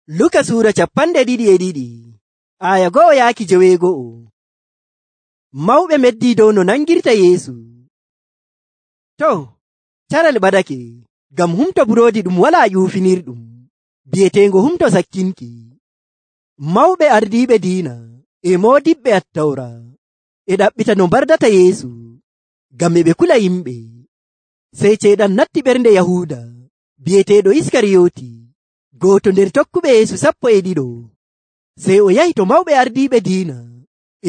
Luka Sura 22 aya 1 yaaki 9. Mawɓe meddi dow no nangirta Yeesu. To, caral ɓadake, ngam humto buroodi ɗum walaa ƴuufinirɗum, bi'eteengo humto sakkinki. Mawɓe ardiiɓe diina e moodiɓɓe Attawra e ɗaɓɓita no mbardata Yeesu, ngam e ɓe kula yimɓe. Sey Ceyɗan natti ɓernde Yahuuda, bi'eteeɗo Iskariyooti, gooto nder tokkuɓe Yeesu 12. Sey o yahi to mawɓe ardiiɓe diina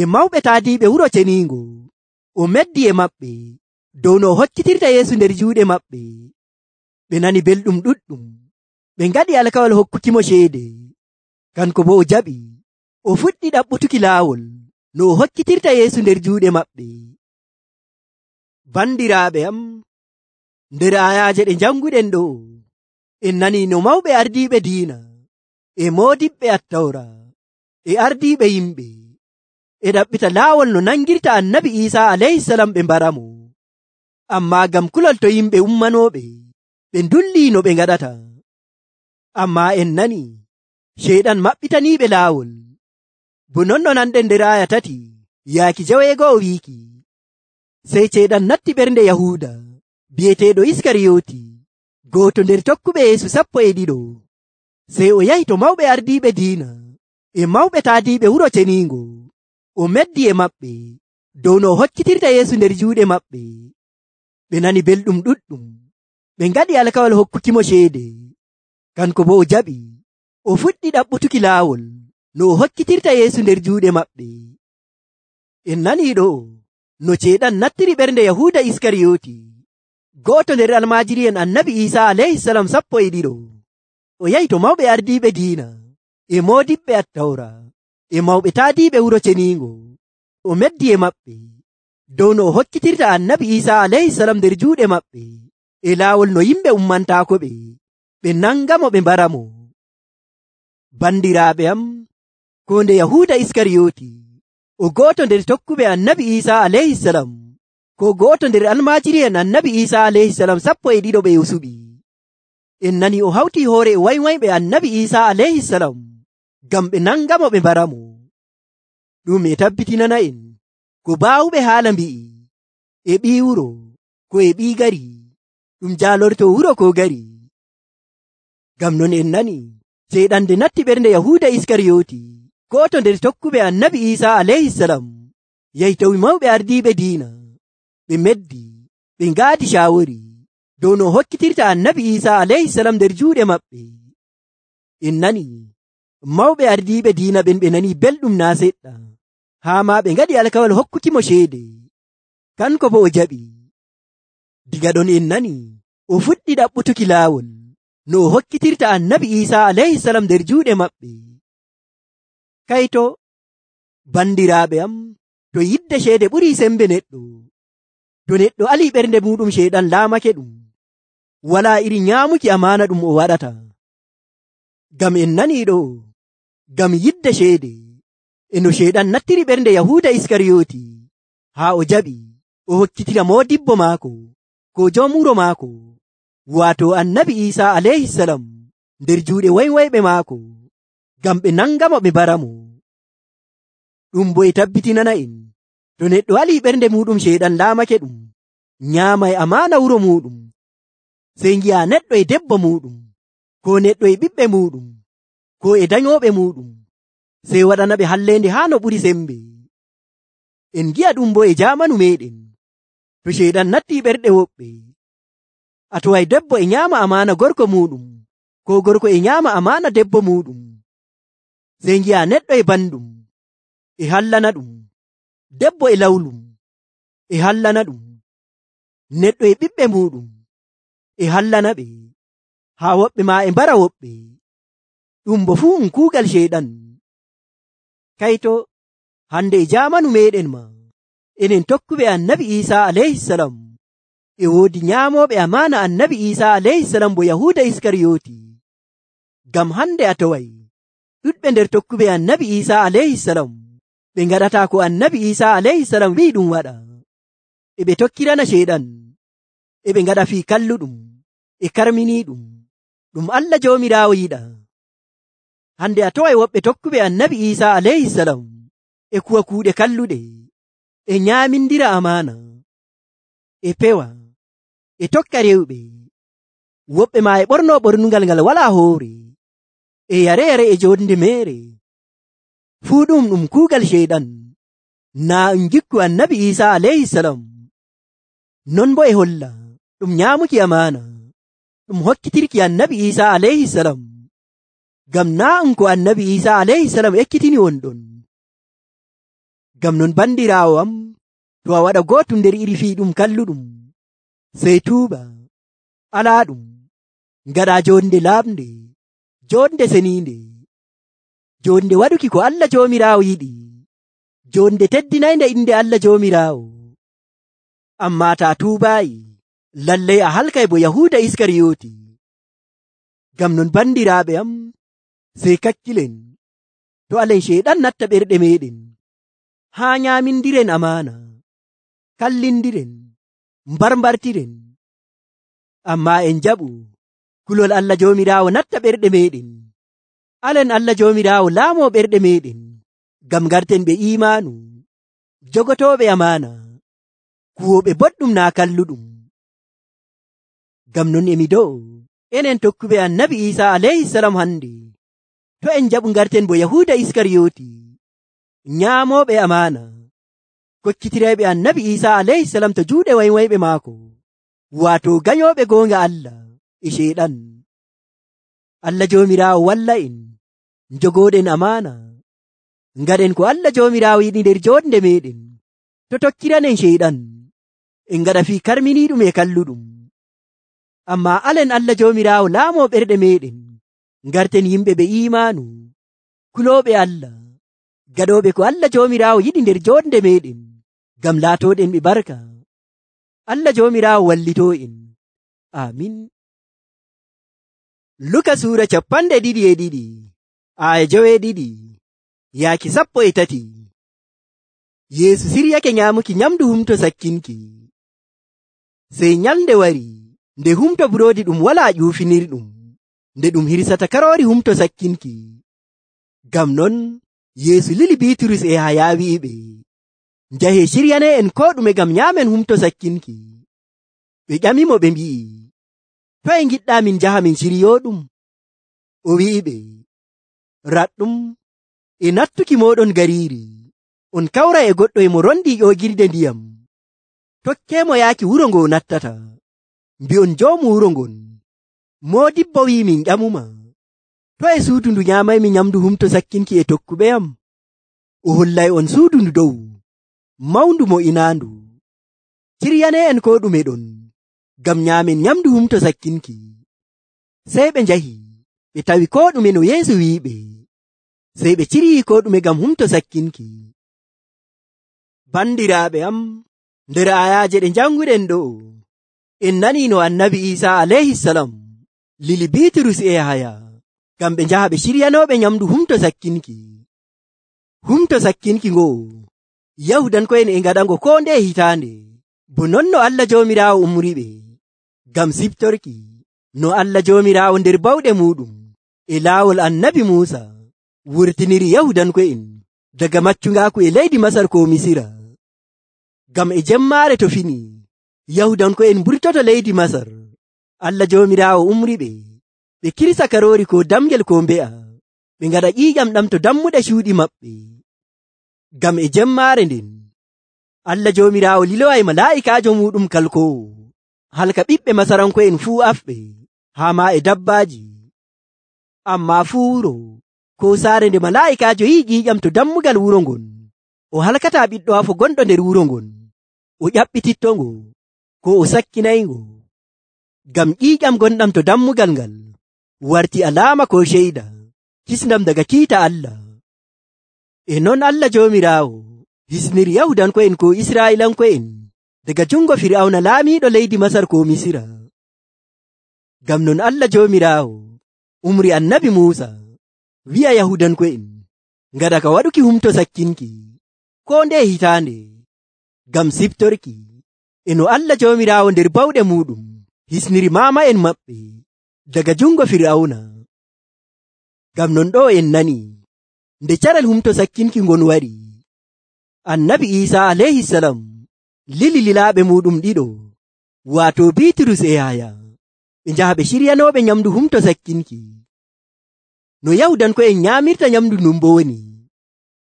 e mawɓe taadiiɓe wuro ceniingo. O meddi e maɓɓe dow no o hoccitirta Yeesu nder juuɗe maɓɓe. Ɓe nani belɗum ɗuɗɗum, ɓe ngaɗi alkawal hokkukimo ceede. Kanko bo o jaɓi, o fuɗɗi ɗaɓɓutuki laawol no o hoccitirta Yeesu nder juuɗe maɓɓe. Bandiraaɓe am, nder ayaaje ɗe janguɗen ɗo, en nani no mawɓe ardiiɓe diina e moodiɓɓe Attawra e ardiiɓe yimɓe e ɗaɓɓita laawol no nangirta Annabi Iisaa alayhisalam ɓe mbaramo. Ammaa ngam kulol to yimɓe ummanooɓe, ɓe ndullii no ɓe ngaɗata. Ammaa en nani Ceyɗan maɓɓitaniiɓe laawol. Bo non no nanɗen nder aya 3 yaaki 9 wiiki, sey Ceyɗan natti ɓernde Yahuuda bi'eteeɗo Iskariyooti, gooto nder tokkuɓe Yeesu 12. Sey o yahi to mawɓe ardiiɓe diina e mawɓe taadiiɓe wuro ceniingo. O meddi e maɓɓe dow no o hoccitirta Yeesu nder juuɗe maɓɓe. Ɓe nani belɗum ɗuɗɗum, ɓe ngaɗi alkawal hokkukimo ceede. Kanko bo o jaɓi, o fuɗɗi ɗaɓɓutuki laawol no o hoccitirta Yeesu nder juuɗe maɓɓe. En nanii ɗo no Ceyɗan nattiri ɓernde Yahuuda Iskariyooti, gooto nder almaajiri'en Annabi Iisaa alayhisalam 12. O yahi to mawɓe ardiiɓe diina e moodiɓɓe Attawra e mawɓe taadiiɓe wuro ceniingo. O meddi e maɓɓe dow no o hoccitirta Annabi Iisaa alayhisalam nder juuɗe maɓɓe e laawol no yimɓe ummantaako ɓe nangamo ɓe mbaramo. Bandiraaɓe am, ko nde Yahuuda Iskariyooti, o gooto nder tokkuɓe Annabi Iisaa alayhisalam, ko gooto nder almaajiri'en Annabi Iisaa alayhisalam 12 ɓe o suɓi. En nani o hawti hoore e waywayɓe Annabi Iisaa alayhisalam ngam ɓe nangamo ɓe mbaramo. Ɗum e tabbitinana en ko baawuɓe haala mbi'i, e ɓii wuro ko e ɓii gari, ɗum jaalorto wuro ko gari. Ngam non en nani Ceyɗan nde natti ɓernde Yahuuda Iskariyooti, gooto nder tokkuɓe Annabi Iisaa alayhisalam, yahi tawi mawɓe ardiiɓe diina. Ɓe meddi, ɓe ngaadi caawori dow no hoccitirta Annabi Iisaa alayhisalam nder juuɗe maɓɓe. En nani mawɓe ardiiɓe diina ɓen ɓe nani belɗum naa seɗɗa, haa ma ɓe ngaɗi alkawal hokkukimo ceede. Kanko bo o jaɓi. Diga ɗon en nani o fuɗɗi ɗaɓɓutuki laawol no o hoccitirta Annabi Iisaa alayhisalam nder juuɗe maɓɓe. Kayto, bandiraaɓe am, to yidde ceede ɓurii sembe neɗɗo, to neɗɗo alii ɓernde muɗum Ceyɗan laamake ɗum, walaa iri nyaamuki amaana ɗum o waɗata. Ngam en nanii ɗo, ngam yidde ceede e no Ceyɗan nattiri ɓernde Yahuuda Iskariyooti, haa o jaɓi o hokkitira moodibbo maako, ko jom wuro maako, waato Annabi Iisaa alayhisalam nder juuɗe waywayɓe maako, ngam ɓe nangamo ɓe mbaramo. Ɗum bo e tabbitinana en, to neɗɗo alii ɓernde muɗum Ceyɗan laamake ɗum, nyaamay amaana wuro muɗum, sey ngi'a neɗɗo e debbo muɗum, ko neɗɗo e ɓiɓɓe muɗum, ko e danyooɓe muɗum, sey waɗana ɓe halleende haa no ɓuri sembe. En ngi'a ɗum bo e jaamanu meɗen, to Ceyɗan natti ɓerɗe woɓɓe, a toway debbo e nyaama amaana gorko muɗum, ko gorko e nyaama amaana debbo muɗum, sey ngi'a neɗɗo e banɗum e hallana ɗum, debbo e lawlum e hallana ɗum, neɗɗo e ɓiɓɓe muɗum e hallana ɓe, haa woɓɓe ma e mbara woɓɓe. Ɗum bo fuu kuugal Ceyɗan. Kayto, hande e jaamanu meɗen ma, enen tokkuɓe Annabi Iisaa alayhisalam, e woodi nyaamooɓe amaana Annabi Iisaa alayhisalam bo Yahuuda Iskariyooti. Ngam hande a toway ɗuɗɓe nder tokkuɓe Annabi Iisaa alayhisalam ɓe ngaɗataa ko Annabi Iisaa alayhisalam wi'i ɗum waɗa, e ɓe tokkirana Ceyɗan, e ɓe ngaɗa fii kalluɗum e karminiiɗum, ɗum Allah Joomiraawo yiɗa. hande a taway woɓɓe tokkuɓe annabi Isa alayhisalam e kuwa kuuɗe kalluɗe, e nyaamindira amana, e pewa, e tokka rewɓe. Woɓɓe maa e ɓorno ɓornungal ngal walaa hoore, e yare e jonde meere. Fuu ɗum kuugal sheyɗan, naa en gikku annabi Isa alayhisalam. Non bo e holla ɗum nyaamuki amana, ɗum hokkitirki annabi Isa alayhisalam. Ngam naa ko annabi Isa alayhisalam ekkitini wonɗon. Ngam non bandiraawo am, to a waɗa gootum nder iri fii ɗum kalluɗum, sey tuuba, alaa ɗum, ngaɗa jonde laaɓnde, jonde seniinde, jonde waɗuki ko Allah Joomiraawo yiɗi, jonde teddinaynde inde Allah Joomiraawo. Ammaa ta tuubaayi, lallay a halkay bo Yahuuda Iskariyooti. Ngam non bandiraaɓe am, sey kakkilen, to alen sheyɗan natta ɓerɗe meɗen, haa nyaamindiren amana, kallindiren, mbarmbartiren. Ammaa en jaɓu kulol Allah Joomiraawo natta ɓerɗe meɗen. Alen Allah Joomiraawo laamoo ɓerɗe meɗen, ngam garten ɓe imaanu, jogotooɓe amana, kuwoɓe boɗɗum naa kalluɗum. Ngam non emi do'o enen tokkuɓe annabi Isa alayhisalam hande, to en jaɓu garten bo Yahuuda Iskariyooti, nyaamoɓe amana, kokkitirayɓe annabi Isa alayhisalam to juuɗe waywayɓe maako, waato gayoɓe goonga Allah e sheyɗan. Allah Joomiraawo walla en jogoɗen amana, ngaɗen ko Allah Joomiraawo yiɗi nder jonde meɗen, to tokkiranen sheyɗan en ngaɗa fii karminiiɗum e kalluɗum. Ammaa alen Allah Joomiraawo laamoo ɓerɗe meɗen, ngarten yimɓe ɓe imaanu, kulooɓe Allah, gaɗooɓe ko Allah Joomiraawo yiɗi nder jonde meɗen, ngam laatooɗen ɓe barka. Allah Joomiraawo wallitoo en. Amin. Luka suura 22 aya 12 yaaki 13. Yeesu siryake nyaamuki nyamdu humto sakkinki. Sey nyalnde wari, nde humto buroodi ɗum walaa ƴuufinirɗum, nde ɗum hirsata karoori humto sakkinki. Ngam non Yeesu lili Biiturus e Yahaya wi'iɓe, njahe ciryane en ko ɗume ngam nyaamen humto sakkinki. Ɓe ƴamimo ɓe mbi'i, toye ngiɗɗaa min njaha min ciryooɗum? O wi'iɓe, raɗɗum e nattuki mooɗon gariiri, on kawra e goɗɗo e mo rondii ƴoogirde ndiyam, tokkeemo yaaki wuro ngo nattata, mbi'on joomu wuro ngon, moodibbo wi'i min ƴamuma, toye suudu ndu nyaamaymi nyamdu humto sakkinki e tokkuɓe am? O hollay on suudu ndu dow, mawndu mo inaandu. Ciryane en ko ɗume ɗon, ngam nyaamen nyamdu humto sakkinki. Sey ɓe njahi, ɓe tawi ko ɗume no Yeesu wi'iɓe, sey ɓe ciryii ko ɗume ngam humto sakkinki. Bandiraaɓe am, nder ayaaje ɗe janguɗen ɗo, en nanii no annabi Isa alayhisalam lili Biiturus e Yahaya, ngam ɓe njaha ɓe ciryanooɓe nyamdu humto sakkinki. Humto sakkinki ngo, Yahudanko'en e ngaɗango ko nde hitaande, bo non no Allah Joomiraawo umriɓe, ngam siftorki no Allah Joomiraawo nder bawɗe muɗum e laawol annabi Muusa wurtiniri Yahudanko'en daga maccungaaku e leydi Masar ko Misira. Ngam e jemmaare to fini, Yahudanko'en mburtoto leydi Masar, Allah Joomiraawo umriɓe, ɓe kirsa karoori ko damgel ko mbe'a, ɓe ngaɗa ƴiiƴam ɗam to dammuɗe cuuɗi maɓɓe. Ngam e jemmaare nden, Allah Joomiraawo liloway malaa'ikaajo muɗum kalkoowo, halka ɓiɓɓe Masaranko'en fuu afɓe, haa ma e dabbaaji. Ammaa fuu wuro ko saare nde malaa'ikaajo yi'i ƴiiƴam to dammugal wuro ngon, o halkataa ɓiɗɗo afo gonɗo nder wuro ngon, o ƴaɓɓitittongo, ko o sakkinayngo, ngam ƴiiƴam gonɗam to dammugal ngal warti alaama ko ceyda kisnam daga kiita Allah. E non Allah Joomiraawo hisniri Yahudanko'en ko Israa'ilanko'en daga jungo Fir'awna laamiiɗo leydi Masar ko Misira. Ngam non Allah Joomiraawo umri annabi Muusa wi'a Yahudanko'en ngaɗa ka waɗuki humto sakkinki ko nde hitaande, ngam siftorki e no Allah Joomiraawo nder bawɗe muɗum hisniri maama'en maɓɓe daga jungo Fir'awna. Ngam non ɗo en nani nde carel humto sakkinki ngon wari, Annabi Isa alayhisalam lili lilaaɓe muɗum ɗiɗo, waato Bitrus e Yahaya, ɓe njaha ɓe ciryanoɓe nyamdu humto sakkinki. No Yahudanko'en nyaamirta nyamdu ndun bo woni,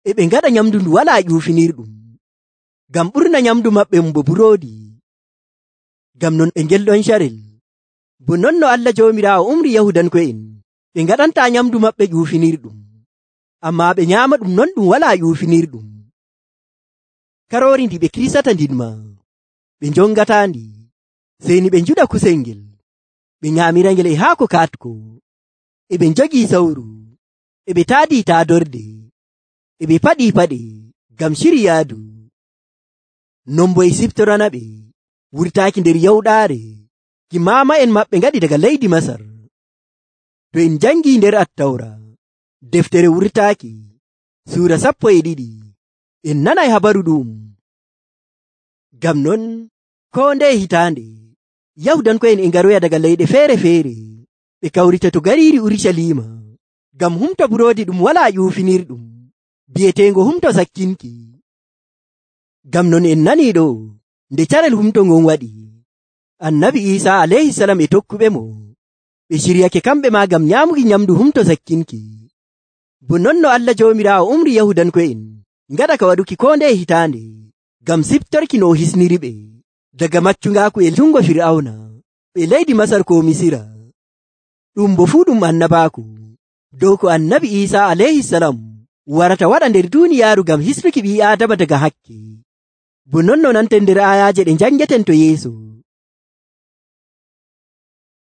e ɓe ngaɗa nyamdu ndu walaa ƴuufinirɗum, ngam ɓurna nyamdu maɓɓe bo buroodi. Ngam non ɓe ngelɗon carel, bo non no Allah Joomiraawo umri Yahudanko'en, ɓe ngaɗantaa nyamdu maɓɓe ƴuufinirɗum, ammaa ɓe nyaama ɗum non ɗum walaa ƴuufinirɗum. Karoori ndi ɓe kirsata ndinma, ɓe njongataandi, sey ni ɓe njuɗa kusel ngel, ɓe nyaamira ngel e haako kaatko, e ɓe njogii sawru, e ɓe taadii taadorde, e ɓe paɗii paɗe ngam ciryaadu. Non bo e siftorana ɓe wurtaaki nder yawɗaare ki maama'en maɓɓe ngaɗi daga leydi Masar. To en njangii nder Attawra, deftere wurtaaki, suura 12, en nanay habaru ɗum. Ngam non koo ndeye hitaande, Yahudanko'en e ngaroya daga leyɗe feere-feere, ɓe kawrita to gariiri Urucaliima, ngam humto buroodi ɗum walaa ƴuufinirɗum, bi'eteengo humto sakkinki. Ngam non en nanii ɗo, nde carel humto ngon waɗi, Annabi Isa alayhisalam e tokkuɓe mo, ɓe ciryake kamɓe maa ngam nyaamuki nyamdu humto sakkinki. Bo non no Allah Joomiraawo umri Yahudanko'en ngaɗa ka waɗuki koo ndeye hitaande, ngam siftorki no o hisniriɓe daga maccungaaku e jungo Fir'awna ɓe leydi Masar ko Misira. Ɗum bo fuu ɗum annabaaku dow ko Annabi Isa alayhisalam warata waɗa nder duuniyaaru ngam hisnuki ɓii Aadama daga hakke. Bo non no nanten nder aayaaje ɗe njangeten to yeeso.